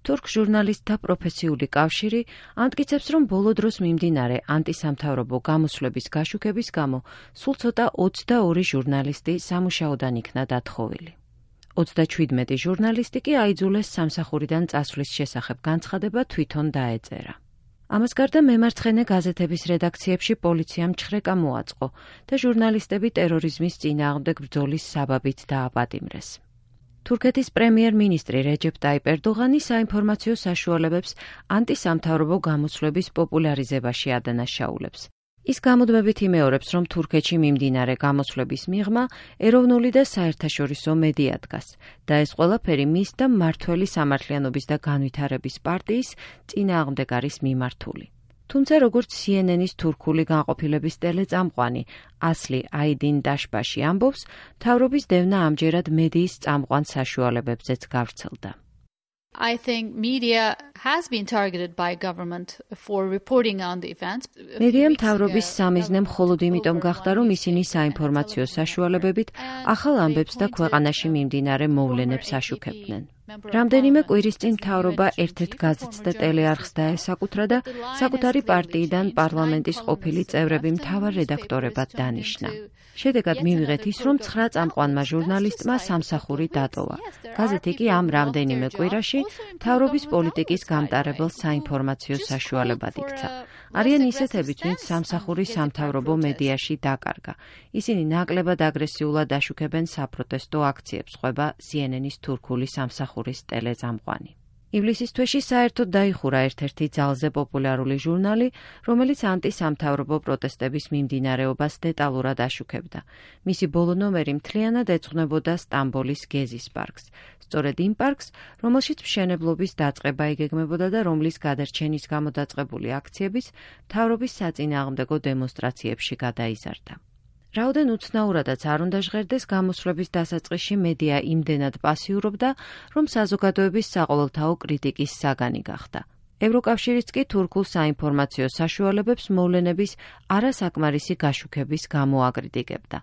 თურქ ჟურნალისტთა პროფესიული კავშირი ამტკიცებს, რომ ბოლო დროს მიმდინარე ანტისამთავრობო გამოსვლების გაშუქების გამო სულ ცოტა 22 ჟურნალისტი სამუშაოდან იქნა დათხოვილი. 37 ჟურნალისტი კი აიძულეს სამსახურიდან წასვლის შესახებ განცხადება თვითონ დაეწერა. ამას გარდა მემარცხენე გაზეთების რედაქციებში პოლიციამ ჩხრეკა მოაწყო და ჟურნალისტები ტერორიზმის წინააღმდეგ ბრძოლის საბაბით დააპატიმრეს. თურქეთის პრემიერ-მინისტრი რეჯეპ ტაიპ ერდოღანი საინფორმაციო საშუალებებს ანტისამთავრობო გამოსვლების პოპულარიზებაში ადანაშაულებს. ის გამუდმებით იმეორებს, რომ თურქეთში მიმდინარე გამოსვლების მიღმა ეროვნული და საერთაშორისო მედია დგას და ეს ყველაფერი მის და მმართველი სამართლიანობის და განვითარების პარტიის წინააღმდეგ არის მიმართული. თუმცა როგორც CNN-ის თურქული განყოფილების ტელეწამყვანი ასლი აიდინ დაშბაში ამბობს, მთავრობის დევნა ამჯერად მედიის წამყვან საშუალებებზეც გავრცელდა. I think media has been targeted by government for reporting on the events. მედიამ მთავრობის სამიზნე მხოლოდ იმიტომ გახდა, რომ ისინი საინფორმაციო საშუალებებით ახალ ამბებს და ქვეყანაში მიმდინარე მოვლენებს აშუქებდნენ. რამდენიმე კვირის წინ მთავრობა ერთ-ერთ გაზეთს და ტელეარხს დაესაკუთრა და საკუთარი პარტიიდან პარლამენტის ყოფილი წევრები მთავარ რედაქტორებად დანიშნა. შედეგად მივიღეთ ის, რომ 9 წამყვანმა ჟურნალისტმა სამსახური დატოვა. გაზეთი კი ამ რამდენიმე კვირაში მთავრობის პოლიტიკის გამტარებელ საინფორმაციო საშუალებად იქცა. არიან ისეთებიც, ვინც სამსახური სამთავრობო მედიაში დაკარგა. ისინი ნაკლებად აგრესიულად აშუქებენ საპროტესტო აქციებს, ყვება CNN-ის თურქული სამსახურის ტელეწამყვანი. ივლისის თვეში საერთოდ დაიხურა ერთ-ერთი ძალზე პოპულარული ჟურნალი, რომელიც ანტისამთავრობო პროტესტების მიმდინარეობას დეტალურად აშუქებდა. მისი ბოლო ნომერი მთლიანად ეძღვნებოდა სტამბოლის გეზის პარკს. სწორედ იმ პარკს, რომელშიც მშენებლობის დაწყება იგეგმებოდა და რომლის გადარჩენის გამო დაწყებული აქციებიც მთავრობის საწინააღმდეგო დემონსტრაციებში გადაიზარდა. რაოდენ უცნაურადაც არ უნდა ჟღერდეს, გამოსვლების დასაწყისში მედია იმდენად პასიურობდა, რომ საზოგადოების საყოველთაო კრიტიკის საგანი გახდა. ევროკავშირიც კი თურქულ საინფორმაციო საშუალებებს მოვლენების არასაკმარისი გაშუქების გამო აკრიტიკებდა.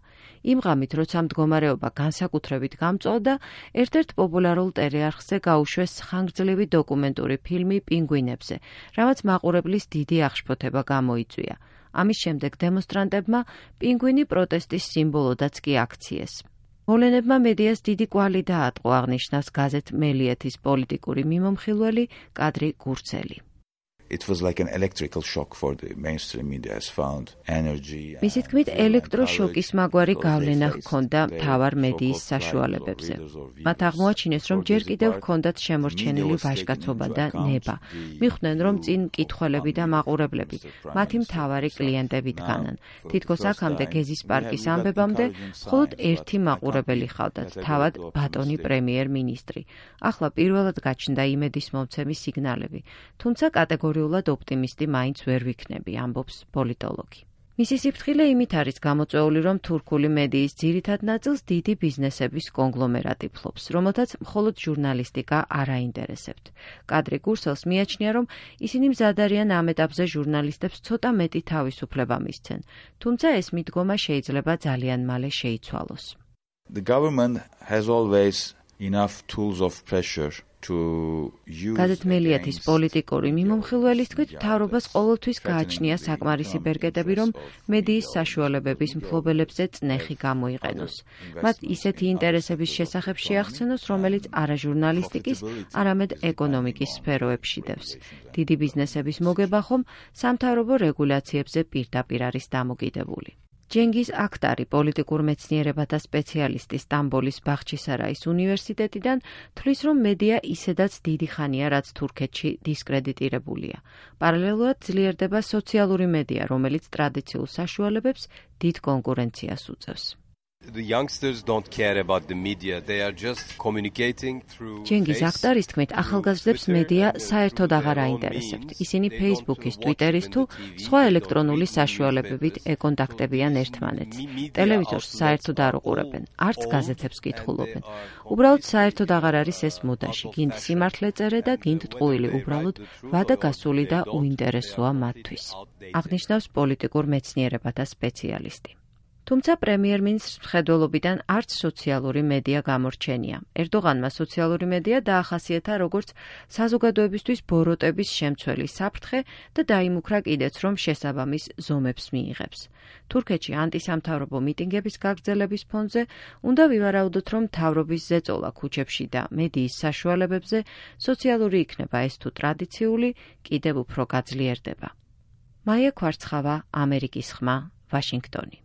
იმ ღამით, როცა მდგომარეობა განსაკუთრებით გამწვავდა, ერთ-ერთ პოპულარულ ტელეარხზე გაუშვეს ხანგრძლივი დოკუმენტური ფილმი პინგვინებზე, რამაც მაყურებლის დიდი აღშფოთება გამოიწვია. ამის შემდეგ დემონსტრანტებმა პინგვინი პროტესტის სიმბოლოდაც კი აქციეს. მოვლენებმა მედიას დიდი კვალი დაატყო, აღნიშნავს გაზეთ მელიეთის პოლიტიკური მიმომხილველი კადრი გურცელი. It was like an electrical shock for the mainstream media has found energy. მისი თქმით, ელექტროშოკის მაგვარი გავლენა ჰქონდა მთავარ მედიის საშუალებებზე. მათ აღმოაჩინეს, რომ ჯერ კიდევ ჰქონდათ შემორჩენილი ვაჟკაცობა და ნება. მიხვდნენ, რომ წინ მკითხველები და მაყურებლები მათი მთავარი კლიენტები დგანან. თითქოს აქამდე გეზის პარკის ამბებამდე მხოლოდ ერთი მაყურებელი ჰყავდათ, თავად ბატონი პრემიერ-მინისტრი. ახლა პირველად გაჩნდა იმედის მომცემი სიგნალები, თუმცა კატეგორიულად ოპტიმისტი მაინც ვერ ვიქნები, ამბობს პოლიტოლოგი. მისი სიფრთხილე იმით არის გამოწვეული, რომ თურქული მედიის ძირითად ნაწილს დიდი ბიზნესების კონგლომერატი ფლობს, რომელთაც მხოლოდ ჟურნალისტიკა არ აინტერესებთ. კადრი გურსელს მიაჩნია, რომ ისინი მზად არიან ამ ეტაპზე ჟურნალისტებს ცოტა მეტი თავისუფლება მისცენ, თუმცა ეს მიდგომა შეიძლება ძალიან მალე შეიცვალოს. The government has always enough tools of pressure. გაზეთ მელიეთის პოლიტიკური მიმომხილველის თქმით, მთავრობას ყოველთვის გააჩნია საკმარისი ბერკეტები, რომ მედიის საშუალებების მფლობელებზე წნეხი გამოიყენოს. მათ ისეთი ინტერესების შესახებ შეახსენოს, რომელიც არა ჟურნალისტიკის, არამედ ეკონომიკის სფეროებში დევს. დიდი ბიზნესების მოგება ხომ სამთავრობო რეგულაციებზე პირდაპირ არის დამოკიდებული. ჯენგიზ აქტარი, პოლიტიკურ მეცნიერებათა სპეციალისტი სტამბოლის ბახჩისარაის უნივერსიტეტიდან, თვლის, რომ მედია ისედაც დიდი ხანია, რაც თურქეთში დისკრედიტირებულია. პარალელურად ძლიერდება სოციალური მედია, რომელიც ტრადიციულ საშუალებებს დიდ კონკურენციას უწევს. The youngsters don't care about the media. They are just communicating through. ჯენგიზ აქტარის თქმით, ახალგაზრდებს მედია საერთოდ აღარ აინტერესებთ. ისინი Facebook-ის, Twitter-ის თუ სხვა ელექტრონული საშუალებებით ეკონტაქტებიან ერთმანეთს. ტელევიზორს საერთოდ არ უყურებენ, არც გაზეთებს კითხულობენ. უბრალოდ საერთოდ აღარ არის ეს მოდაში. გინდ სიმართლე წერე და გინდ ტყუილი, უბრალოდ ვადაგასული და უინტერესოა მათთვის. აღნიშნავს პოლიტიკურ მეცნიერებათა სპეციალისტი. თუმცა პრემიერ-მინისტრს მხედველობიდან არც სოციალური მედია გამორჩენია. ერდოღანმა სოციალური მედია დაახასიათა როგორც საზოგადოებისთვის ბოროტების შემცველი საფრთხე და დაიმუქრა კიდეც, რომ შესაბამის ზომებს მიიღებს. თურქეთში ანტისამთავრობო მიტინგების გაგრძელების ფონზე უნდა ვივარაუდოთ, რომ მთავრობის ზეწოლა ქუჩებში და მედიის საშუალებებზე სოციალური იქნება ეს თუ ტრადიციული, კიდევ უფრო გაძლიერდება. მაია ქვარცხავა, ამერიკის ხმა, ვაშინგტონი.